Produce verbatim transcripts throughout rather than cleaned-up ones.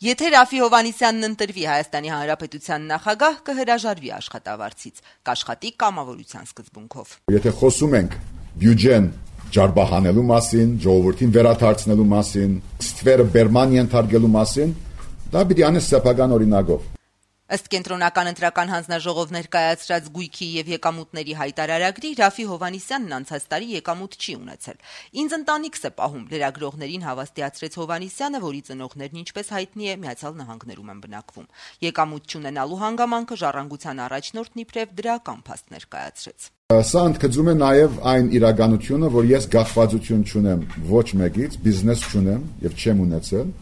Եթե Ռաֆի Հովհաննիսյանն ընտրվի Հայաստանի Հանրապետության նախագահ, կհրաժարվի աշխատավարձից, կաշխատի կամավորության սկզբունքով։ Եթե խոսում ենք բյուջեն ջարբահանելու մասին, ժողովրդին վերադարձնելու մասին, ստվերը բերման ենթարկելու մասին, դա պիտի անես սեփական օրինակով։ Ըստ կենտրոնական ընտրական հանձնաժողով ներկայացրած գույքի եւ եկամուտների հայտարարագրի Ռաֆի Հովհաննիսյանն անցած տարի եկամուտ չի ունեցել։ Ինձ ընտանիքս է պահում, լրագրողներին հավաստիացրեց Հովհաննիսյանը, որի ծնողներն ինչպես հայտնի է Միացյալ Նահանգներում են բնակվում։ Եկամուտ չունենալու հանգամանքը ժառանգության առաջնորդն իբրև դրական փաստ ներկայացրեց։ Սա ընդգծում է նաև այն իրականությունը, որ ես գաղթվածություն չունեմ ոչ մեկից, բիզնես չունեմ եւ չեմ ունեցել։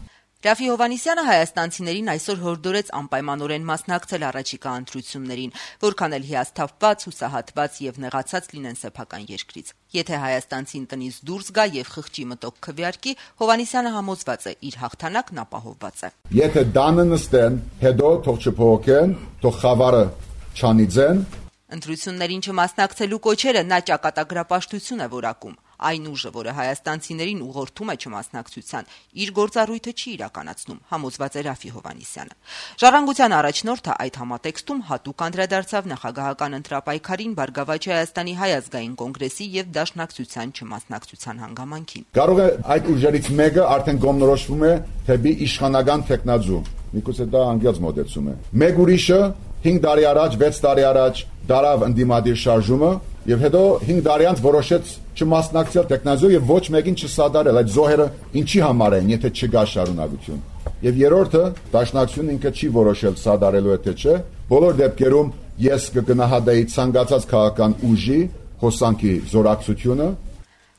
Ռաֆի Հովհաննիսյանը հայաստանցիներին այսօր հորդորեց անպայմանորեն մասնակցել առաջիկա ընտրություններին, որքան էլ հիասթափված, հուսահատված եւ նեղացած լինեն սեփական երկրից։ Եթե հայաստանցին տնից դուրս գա եւ խղճի մտոք քվեարկի, Հովհաննիսյանը համոզված է, իր հաղթանակն ապահովված է։ Եթե դանը նստեն, հետո թող չփոխեն, թող խավարը չանիծեն։ Ընտրություններին չմասնակցելու կոչերը նա ճակատագրապաշտություն է որակում։ Այն ուժը, որը հայաստանցիներին ուղղորդում է չմասնակցության, իր գործառույթը չի իրականացնում, համոզված է Ռաֆի Հովհաննիսյանը։ Ժառանգության առաջնորդը այդ համատեքստում հատուկ անդրադարձավ նախագահական ընտրապայքարին Բարգավաճ Հայաստանի Հայ ազգային կոնգրեսի եւ Դաշնակցության չմասնակցության հանգամանքին։ Կարող է այդ ուժերից մեկը արդեն կողմնորոշվում է թեպի իշխանական տեխնազու։ Միգուցե դա անգլիաց մոտեցում է։ Մեկ ուրիշը հինգ տարի առաջ, վեց տարի առաջ դարավ ընդդիմադիր շարժումը եւ հետո հինգ տարի անց որոշեց չմասնակցել տեխնազու եւ ոչ մեկին չսադարել։ Այդ զոհերը ինչի համար են, եթե չկա շարունակություն։ Եվ երրորդը Դաշնակցությունը ինքը չի որոշել սադարելու է թե չէ։ Բոլոր դեպքերում ես կգնահատեի ցանկացած քաղաքական ուժի հոսանքի զորակցությունը։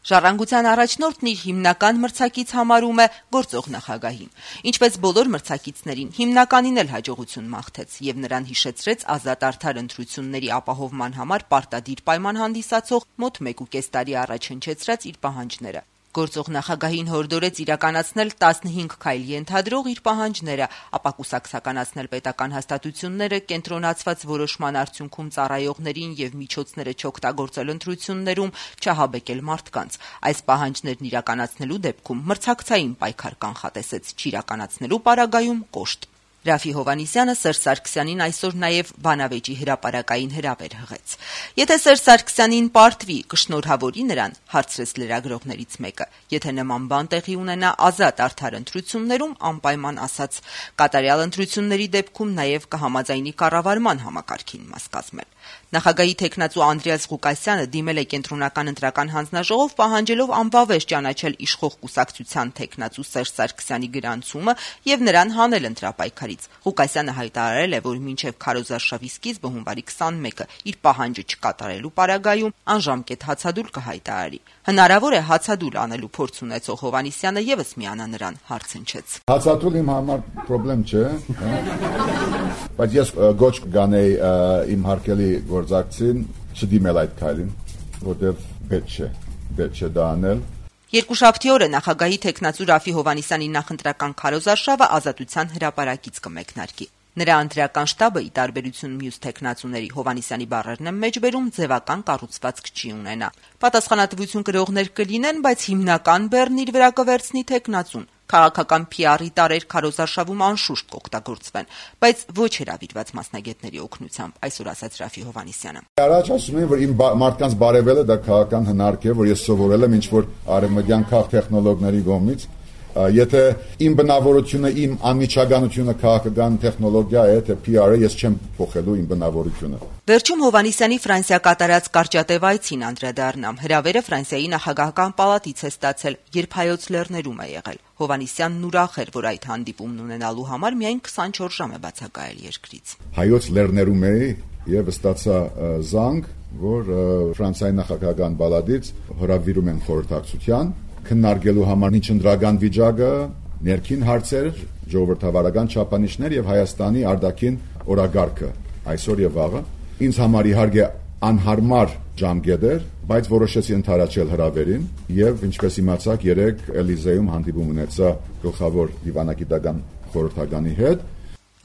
Ժառանգության առաջնորդն իր հիմնական մրցակից համարում է գործող նախագահին։ Ինչպես բոլոր մրցակիցներին, հիմնականին էլ հաջողություն մաղթեց եւ նրան հիշեցրեց ազատ արդար ընտրությունների ապահովման համար պարտադիր պայման հանդիսացող մոտ մեկ ու կես տարի առաջ հնչեցրած իր պահանջները։ Գործող նախագահին հորդորեց իրականացնել տասնհինգ քայլ ենթադրող իր պահանջները, ապա կուսակցականացնել պետական հաստատությունները, կենտրոնացված որոշման արդյունքում ծառայողներին եւ միջոցները չօգտագործել ընտրություններում, չհաբեկել մարդկանց։ Այս պահանջներն իրականացնելու դեպքում մրցակցային պայքար կանխատեսեց, չիրականացնելու պարագայում կոշտ։ Ռաֆի Հովհաննիսյանը Սերժ Սարգսյանին այսօր նաև բանավեճի հրապարակային հրավեր հղեց։ Եթե Սերժ Սարգսյանին պարտվի, կշնորհավորի նրան, հարցրեց լրագրողներից մեկը։ Եթե նման բան տեղի ունենա ազատ արդար ընտրություններում, անպայման ասաց, կատարյալ ընտրությունների դեպքում նաև կհամաձայնի կառավարման համակարգին մաս կազմել։ Նախագահի թեկնածու Անդրեաս Ղուկասյանը դիմել է կենտրոնական ընտրական հանձնաժողով, պահանջելով անվավեր ճանաչել իշխող կուսակցության թեկնածու Սերժ Սարգսյանի գրանցումը եւ նրան հանել ընտրապայքարից։ Ղուկասյանը հայտարարել է, որ մինչեւ քարոզարշավի սկիզբը հունվարի քսանմեկը իր պահանջը չկատարելու պարագայում անժամկետ հացադուլ կհայտարարի։ Հնարավոր է հացադուլ անելու փորձ ունեցող Հովհաննիսյանը եւս միանա նրան, հարցնչեց։ Հացադուլ իմ համար խնդրեմ չէ, բայց ես գոչ կանեի իմ հարկելի գործակցին չդիմել այդ քայլին, որտեղ պետք չէ, պետք չէ դա անել։ Երկուշաբթի օրը նախագահի թեկնածու Ռաֆի Հովհաննիսյանի նախընտրական քարոզարշավը Ազատության հրապարակից կմեկնարկի։ Նրա ընտրական շտաբը, ի տարբերություն մյուս թեկնածուների, Հովհաննիսյանի բառերն են մեջբերում, ձևական կառուցվածք չի ունենա։ Պատասխանատվություն կրողներ կլինեն, բայց հիմնական բեռն իր վրա կվերցնի թեկնածուն։ Քաղաքական փի արի տարեր քարոզարշավում անշուշտ կօգտագործվեն, բայց ոչ հրավիրված մասնագետների օգնությամբ, այսօր ասաց Ռաֆի Հովհաննիսյանը։ Առաջ ասում եմ, որ իմ մարդկանց բարևելը դա քաղաքական հնարք է, որ ես սովորել եմ ինչ-որ արևմտյան քաղ տեխնոլոգների կողմից։ Եթե իմ բնավորությունը, իմ անմիջականությունը քաղաքական տեխնոլոգիա է, թե փի արը, ես չեմ փոխելու իմ բնավորությունը։ Վերջում Հովհաննիսյանի Ֆրանսիա կատարած կարճատև այցին անդրադառնամ։ Հրավերը Ֆրանսիայի նախագահական պալատից է ստացել, երբ Հայոց Լեռներում է եղել։ Հովհաննիսյանն ուրախ էր, որ այդ հանդիպումն ունենալու համար միայն քսանչորս ժամ է բացակայել երկրից։ Հայոց Լեռներում էի եւ ստացա զանգ, որ Ֆրանսիայի նախագահական պալատից հրավիրում են խորհրդակցության քննարկելու համար ինչ ընդրական վիճակը, ներքին հարցեր, ժողովրդավարական չափանիշներ եւ Հայաստանի արտաքին օրագարկը այսօր եւ վաղը։ Ինձ համար իհարկե անհարմար ժամկետ էր, բայց որոշեցի ընդառաջել հրավերին եւ ինչպես իմացաք, երեք Էլիզեում հանդիպում ունեցա գլխավոր դիվանագիտական խորհրդականի հետ։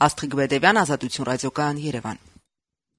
Աստղիկ Բեդևյան, Ազատություն ռադիոկայան, Երևան։